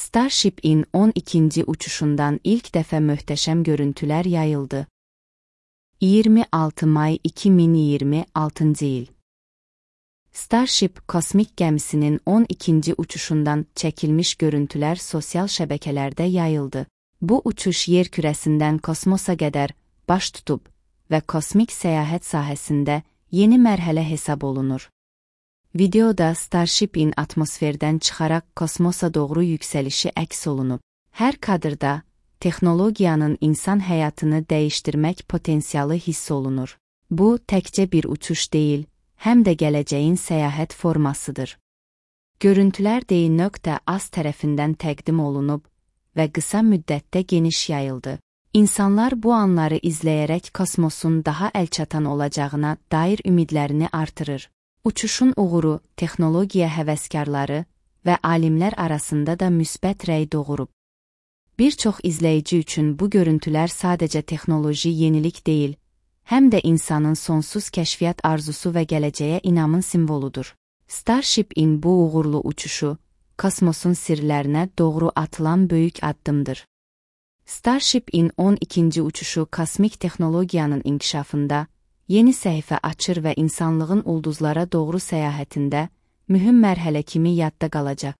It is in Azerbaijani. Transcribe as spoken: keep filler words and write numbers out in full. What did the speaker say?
Starship-in on ikinci uçuşundan ilk dəfə möhtəşəm görüntülər yayıldı. iyirmi altı may iki min iyirmi altıncı il. Starship kosmik gəmisinin on ikinci uçuşundan çəkilmiş görüntülər sosial şəbəkələrdə yayıldı. Bu uçuş yer kürəsindən kosmosa qədər baş tutub və kosmik səyahət sahəsində yeni mərhələ hesab olunur. Videoda Starship-in atmosferdən çıxaraq kosmosa doğru yüksəlişi əks olunub. Hər kadrda texnologiyanın insan həyatını dəyişdirmək potensialı hiss olunur. Bu, təkcə bir uçuş deyil, həm də gələcəyin səyahət formasıdır. Görüntülər D.Az tərəfindən təqdim olunub və qısa müddətdə geniş yayıldı. İnsanlar bu anları izləyərək kosmosun daha əlçatan olacağına dair ümidlərini artırır. Uçuşun uğuru, texnologiya həvəskarları və alimlər arasında da müsbət rəy doğurub. Bir çox izləyici üçün bu görüntülər sadəcə texnoloji yenilik deyil, həm də insanın sonsuz kəşfiyyat arzusu və gələcəyə inamın simvoludur. Starship-in bu uğurlu uçuşu, kosmosun sirlərinə doğru atılan böyük addımdır. Starship-in on ikinci uçuşu kosmik texnologiyanın inkişafında yeni səhifə açır və insanlığın ulduzlara doğru səyahətində mühüm mərhələ kimi yadda qalacaq.